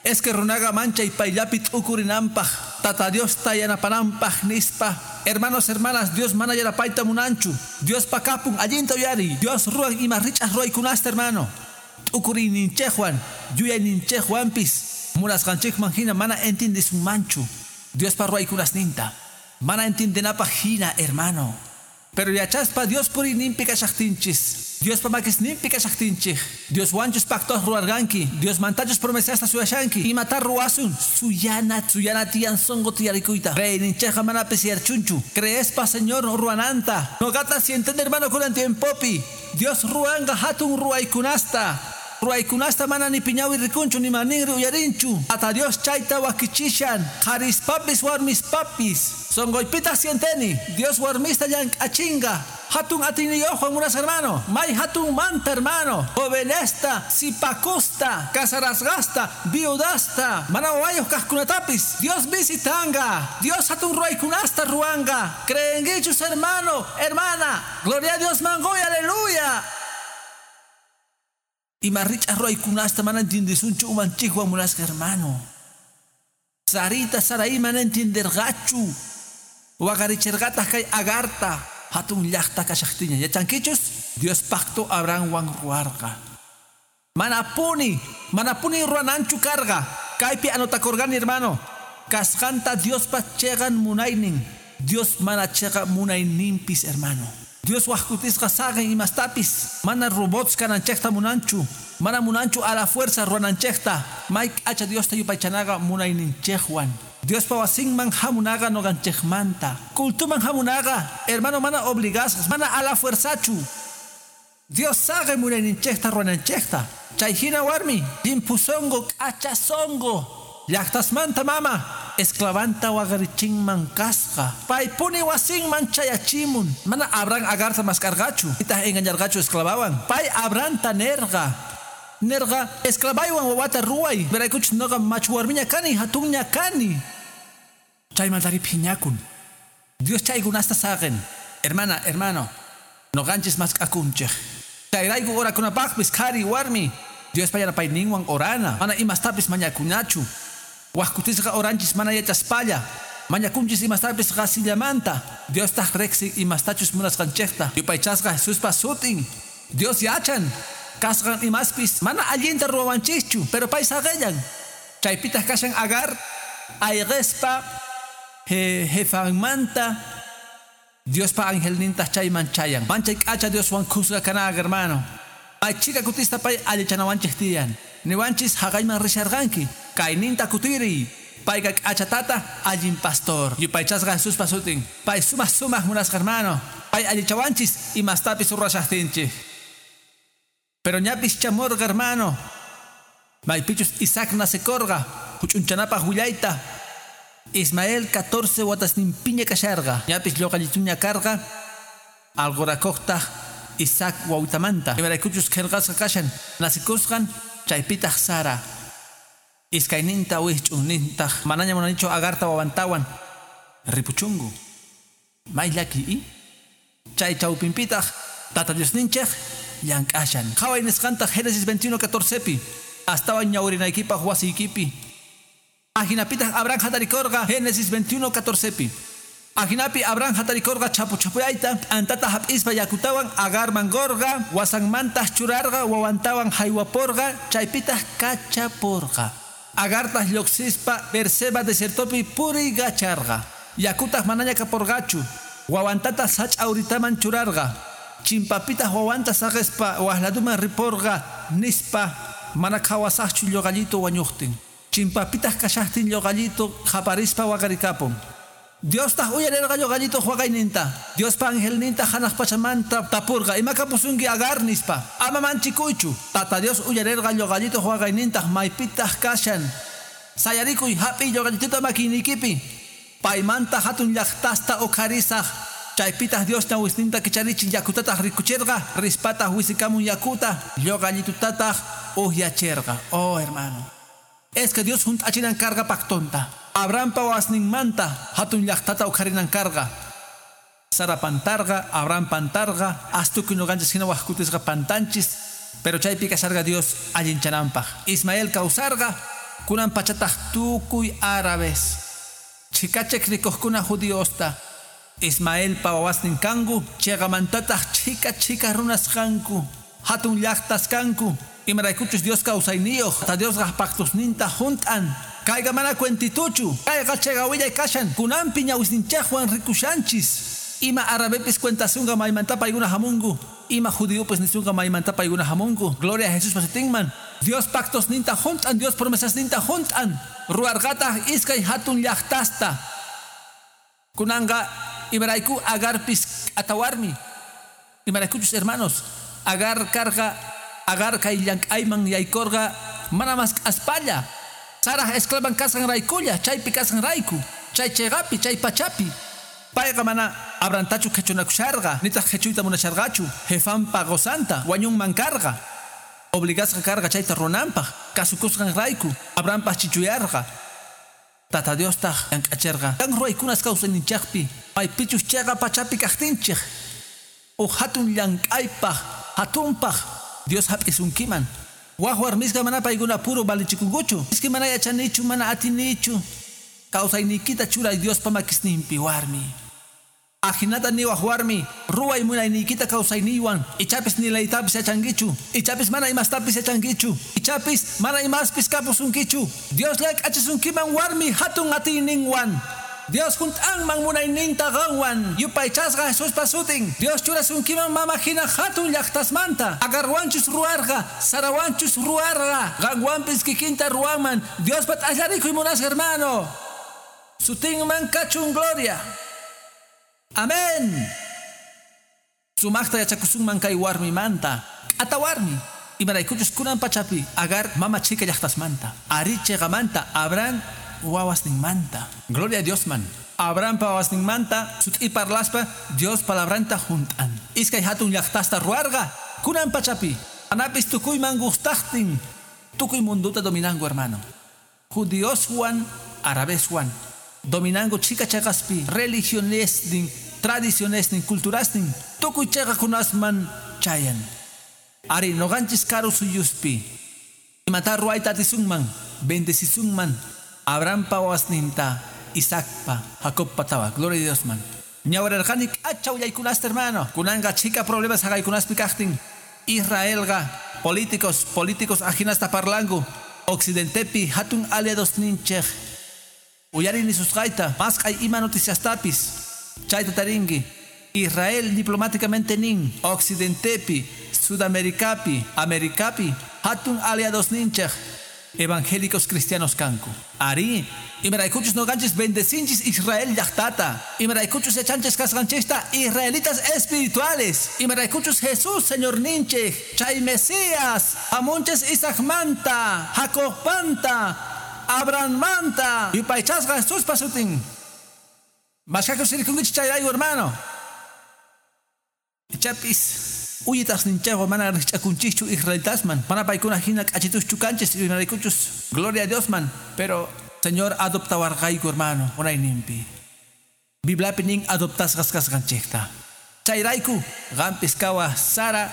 Es que runaqa manchay payllapi t'ukurinanpaq, Tata Diosta yanapananpaq nispa. Hermanos, hermanas, Dios mana yanapayta munanchu. Diospa kapun allinta uyariy. Dios ruwan ima rich'aq ruwaykunasta, hermano. T'ukuriyninchikwan, yuyayninchikwanpis munasqanchikman hina mana entiendesunmanchu Diospa ruwaykunasninta. Mana entiendenapaq hina, hermano. Pero yachaspa Dios puriyninpi kashaqtinchis, Diospa makisninpi kashaqtinchik, Dioswanchus pactos ruwarqanki, Diosmantachus promesasta suyashanki, imata ruwasun, suyana, suyana tiyan sonqo tiyarikuyta. Reyninchikqa mana pisiyarchunchu, creespa Señor ruwananta. Noqata si entiende, hermano, kunan tiempopi, Dios ruwanqa hatun ruwaykunasta. Ruwaykunasta mana ni piñawi rikunchu ni maninri uyarinchu. Ata Dios chayta wakichishan, qharispapis warmispapis. Sonqoypitaq sienteni, Dios warmista llank'achinqa. Hatun atiyniyuqwan munasqa hermano, may hatun manta hermano, jovenesta, sipakusta, casarasqasta, viudasta, mana wawayuq kaqkunatapis Dios visitanga. Dios hatun ruwaykunasta ruwanqa. Creenkichus hermano, hermana. Gloria a Dios mangoy, aleluya. Ima rich'aq ruwaykunasta mana entiendesunchu umanchikwan munasqa hermano. Sarita, Sarai mana entienderqachu. Waqarichirqataq kay Agarta hatun llaqta kashaqtiña. Yachankichus? Dios pacto Abrahamwan ruwarqa. Manapuni, manapuni ruwananchu karqa. Kaypi anotakurqani, hermano. Kasqanta Diospa chiqan munaynin. Dios mana chiqa munayninpis, hermano. Dios waqkutisqa saqin imastapis. Mana robots kananchikta munanchu. Mana munanchu a la fuerza ruwananchikta. May k'acha Diosta yupaychanaqa munayninchikwan. Diospa wasinman hamunaqa nuqanchikmanta. Cultuman hamunaqa, hermano, mana obligasqas, mana a la fuerzachu. Dios saqin munayninchikta ruwananchikta. Chay hina warmi, llimphu sunqu, k'acha sunqu. Llaqtasmanta mama, esclavanta waqarichinman kasqa. Paypuni wasinman chayachimun. Mana Abraham Agarta maskarqachu, nitaq engañarqachu esclavawan. Pay Abrahamta nerqa. Nerqa, esclavaywan wawata ruway. Imaraykuchus nuqa machu warmiña kani, hatunña kani. Chaymantari phiñakun. Dios chaykunasta saqin. Hermana, hermano, nuqanchis mask'akunchik. Chayrayku orakunapaqpis qhari warmi. Diospa yanapayninwan orana. Mana imastapis mañakunachu. Waqkutisqa oranchis mana yachaspalla. Mañakunchis imastapis qasillamanta. Diostaq riqsin imastachus munasqanchikta. Yupaychasqa Jesuspa sutin. Dios yachan. Kasqan imaspis mana allinta ruwawanchischu, pero pay saqillan. Chaypitaq kashan Agar ayqispa jefanmanta. Diospa angelnintaq chayman chayan. Manchay k'acha Dioswan khusqa kanaqa, hermano. May chhika kutista pay allichanawanchik tiyan. Niwanchis haqayman risharqanki. Kayninta kutiriy. Payqa k'acha tata allin pastor. Yupaychasqa Jesuspa sutin. Pay sumaq sumaq munasqa, hermano. Pay allichawanchis imastapis ruwashaqtinchik. Pero ñapis chamurqa, hermano. Maypichus Isaac nacekorqa. Huch'unchanapaq willayta. Ismael 14 watasninpiña kasharqa. Ñapis lluqallituña karqa. Alqurakuqtaq Isaac wawtamanta. Imaraykuchus qillqasqa kashan. Nacikusqan chaypitaq Sara. Iskayninta wijch'unnintaq manaña munanichu Agarta wawantawan. Ripuchunku. May llaki i. Chay chawpinpitaq Tata Diosninchik llank'ashan. Qhaway nisqantaq Génesis 21:14pi. Astawan ñawirinaykipaq wasiykipi. Ajinapitaq Abraham hatarikurqa Génesis 21:14pi. Ajinapi Abraham hatarikurqa chapu chapuyayta t'antata hap'ispa yakutawan Agarman qurqa wasanmantaq churarqa wawantawan haywapurqa chaypitaq kachapurqa. Agartaq lluqsispa Beerseba desiertopi puriykacharqa. Yakutaq manaña kapurqachu. Wawantataq sach'a uritaman churarqa. Chimpapitaq wawanta saqispa waqladuman ripurqa nispa mana qhawasaqchu lluqallitu wañuqtin. Chimpapitaq kashaqtin lluqallitu qaparispa waqarikapun. Diostaq uyarirqa lluqallituq waqayninta. Diospa angelninta hanaq pachamanta tapurqa ima kapusunki Agar nispa. Ama manchikuychu. Tata Dios uyarirqa lluqallituq waqaynintaq maypitaq kashan. Sayarikuy hap'iy lluqallituta makiniykipi. Paymanta hatun llaqtasta uqharisaq. Chaypitaq Dios ñawisninta kicharichin yakutataq rikuchirqa. Rispataq wisikamun yakuta lluqallitutataq uhyachirqa. Oh, hermano. Es que Dios hunt'achinan karqa pactonta. Abrahampa wawasninmanta hatun llaqtata uqharinan karqa. Sara pantarqa, Abraham pantarqa, astukuy nuqanchis hina waqkutisqa pantanchis. Pero chaypi kasharqa Dios allinchananpaq. Ismael kawsarqa, kunan pachataq tukuy árabes. Chikachek rikuqkuna judiosta. Ismaelpa wawasnin kanku, chiqamantataq chhika chhika runas kanku. Hatun llaqtas kanku. Imaraykuchus Dios kawsayniyuq, ta Diosqa pactosninta junt'an. Kayqa mana cuentituchu. Kayqa chiqa willay kashan. Kunanpi ñawisninchikwan rikushanchis. Ima árabepis cuentasunqa maymanta paykuna hamunku. Ima judiopis nisunqa maymanta paykuna hamunku. Gloria a Jesús pasutinman. Dios pactosninta junt'an, Dios promesasninta junt'an. Ruwarqataq iskay hatun llaqtasta. Kunanqa imarayku Agarpis atawarmi. Imaraykuchus hermanos, Agar karqa, Agar kay llank'ayman yaykurqa mana mask'aspalla. Sarah esclavan kasqan raykulla, chaypi kasqan rayku, chay chiqapi, chay pachapi. Payqa mana Abrahamtachu qhichunakusharqa, nitaq qhichuyta munasharqachu, jefanpa qusanta wañunman karqa. Obligasqa karqa chayta runanpaq, kasukusqan rayku, Abrahampaq chichuyarqa. Tata Diostaq llank'acherqa. Kan ruwaykunas kawsayninchikpi, maypichus chiqa pachapi kaqtinchik. Uj hatun llank'aypaq, hatunpaq Dios hap'isunkiman. Waj warmisqa mana paykuna puro valichikunkuchu. Iski mana yachanichu, mana atinichu. Kawsayniykita churay Diospa makisninpi warmi. Ajinata niwaj warmi, ruway munayniykita kawsayniywan. Ichapis ni leytapis yachankichu. Ichapis mana imastapis yachankichu. Ichapis mana imaspis kapusunkichu. Dios llank'achisunkiman warmi hatun atiyninwan. Dios junt'anman munayninta qanwan. Yupaychasqa Jesuspa sutin. Dios churasunkiman mama hina hatun llaqtasmanta. Agarwanchus ruwarqa, Sarawanchus ruwarqa. Qanwanpis kikinta ruwanman. Diospa t'allarikuy munasqa hermano. Sutinman kachun gloria. Amén. Sumaqta yachakusunman kay warmimanta. Ata warmi. Imaraykuchus kunan pachapi Agar mama chika llaqtasmanta. Ari chiqamanta Abraham wawasninmanta. Gloria a Dios man. Abrahampa wawasninmanta sut'i parlaspa Dios palabranta junt'an. Iskay hatun llaqtasta ruwarqa kunan pachapi. Anapis tukuyman gustaqtin. Tukuy munduta dominanku hermano. Judioswan, árabeswan. Dominanku chika chaqaspi, religionesnin, tradicionesnin, culturasnin, tukuy chaqakunasman chayan. Ari noqanchis karu suyuspi. Imata ruwayta atisunman, bendecisunman, Abrahampa wawasninta, Isaacpa, Jacobpa tawa. Gloria a Dios man. Ñawrarqani k'acha willaykunasta hermano. Kunanqa chhika problemas haqaykunaspi kaqtin. Israelqa políticos ajinasta parlanku. Occidentepi hatun aliados ninchej. Uyari nisusqayta, mask'ay ima noticiastapis. Chayta tarinki. Israel diplomáticamente nin. Occidentepi, Sudamericapi, Americapi, hatun aliados ninchej. Evangélicos cristianos kanku. Ari, imaraykuchus noqanchis bendecinchis Israel llaqtata. Imaraykuchus yachanchis kasqanchista israelitas espirituales. Imaraykuchus Jesús Señor ninchej, chay Mesías, hamunchis Isaacmanta, Jacobmanta, Abrahammanta, yupaychasqa Jesuspa sutin. Mashkakus sirkunkichis chayrayku hermano. Ichapis uyitasninchayqa mana rikch'akunchikchu israelitasman. Mana paykuna hina k'achituschu kanchis imaraykuchus. Gloria a Dios man. Pero Señor adoptawarqayku hermano munayninpi. Bibliapi nin adoptasqas kasqanchikta. Chayrayku qampis kawaj Sara,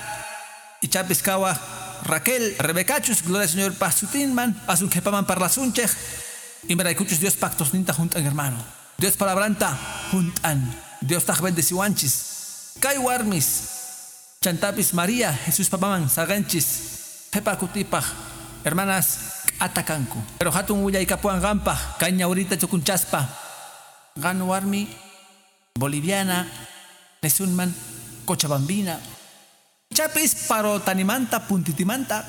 ichapis kawaj Raquel, Rebecachus, gloria al Señor pasutinman, asun qhipaman parlasunchej. Imaraykuchus Dios pactosninta junt'an hermano. Dios palabranta junt'an. Dios taj bendeciwanchis. Kay warmis. Chantapis María, Jesús papaman, saqanchis, qhipa kutipaq, hermanas atakanku. Pero hatun willaykapuwan qanpaq, kay ñawrita tukunchaspa. Qan warmi, boliviana, nisunman, Cochabambina. Chapis parotanimanta, puntitimanta,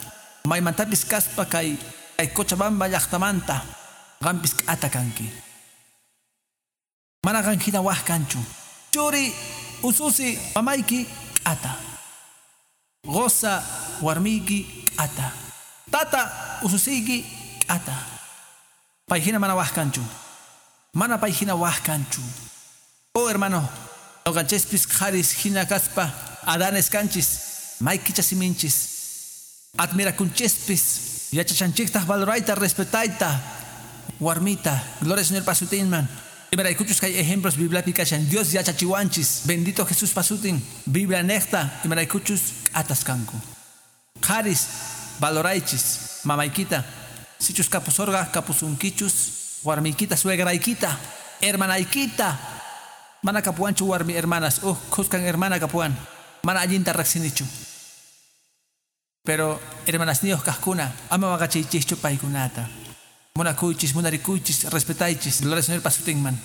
maymantapis kaspa kay Cochabamba llaqtamanta, qampis atakanki. Mana qan hina waj kanchu. Churi, ususi, mamayki, ata. Goza, warmiki, ata. Tata, ususiki, ata. Payhina mana waj kanchu. Mana payhina waj kanchu. Oh hermano, noqanchispis qharis hina kaspa, Adanes kanchis, maykicha siminchis. Admirakunchispis, yachachanchiktaq valorayta, respetayta. Warmita, gloria al Señor pasutinman. Imaraykuchus kay ejemplos bibliapi kashan, Dios yachachiwanchis, bendito Jesús pasutin, Biblia nejta, imaraykuchus ataskanku. Qharis, valoraychis mamaykita. Sichus kapusorqa kapusunkichus warmiykita, suegraykita, hermanaykita. Mana kapuwanchu warmi hermanas, khuskan hermana kapuwan. Mana allinta riqsinichu. Pero hermanasniyuq kaqkuna, ama waqachiychischu paykunata. Munakuychis, munarikuychis, respetaychis. Gloria al Señor pasutinman.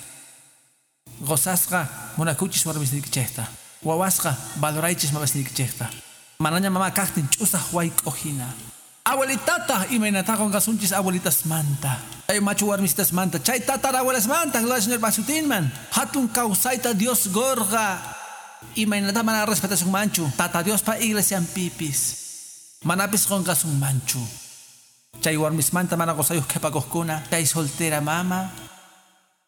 Gozasqa munakuychis warmisniykichikta. Wawasqa valoraychis mamasniykichikta. Manaña mama kaqtin ch'usaq wayk'uhina. Abuelitata imaynata qunqasunchis abuelitasmanta. Chay machu warmisitasmanta, chay tatarabuelasmanta, gloria al Señor pasutinman. Hatun kawsayta Dios gorqa. Imaynata mana respetasunmanchu. Tata Diospa iglesianpipis. Manapis qunqasunmanchu. Chay warmismanta mana qusayuq qhipakuqkuna, chay soltera mama.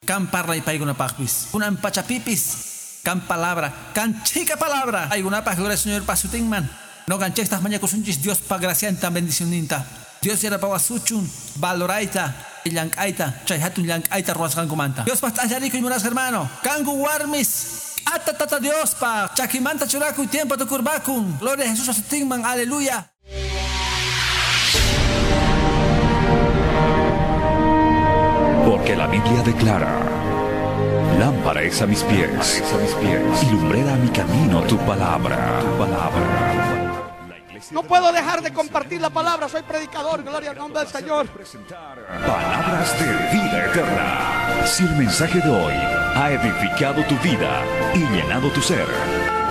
Kan parlay paykunapaqpis. Kunan pachapipis. Kan palabra, kan chica palabra. Paykunapaq, gloria al Señor pasutinman. Noqanchiktaq mañakusunchis Diospa gracianta bendicionninta. Dios yanapawasuchun valorayta, llank'ayta, chay hatun llank'ayta ruwasqankumanta. Diospaq t'allarikuy munasqa hermano. Kanku warmis. Ata tata Diospa chakimanta churakuy tiempo tukurbakun. Gloria a Jesús pasutinman. Aleluya. Porque la Biblia declara: lámpara es a mis pies, y lumbrera a mi camino tu palabra, tu palabra. No puedo dejar de compartir la palabra, soy predicador, gloria al nombre del Señor. Palabras de vida eterna. Si el mensaje de hoy ha edificado tu vida y llenado tu ser,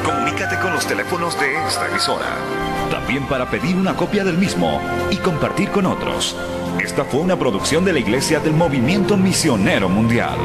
comunícate con los teléfonos de esta emisora. También para pedir una copia del mismo y compartir con otros. Esta fue una producción de la Iglesia del Movimiento Misionero Mundial.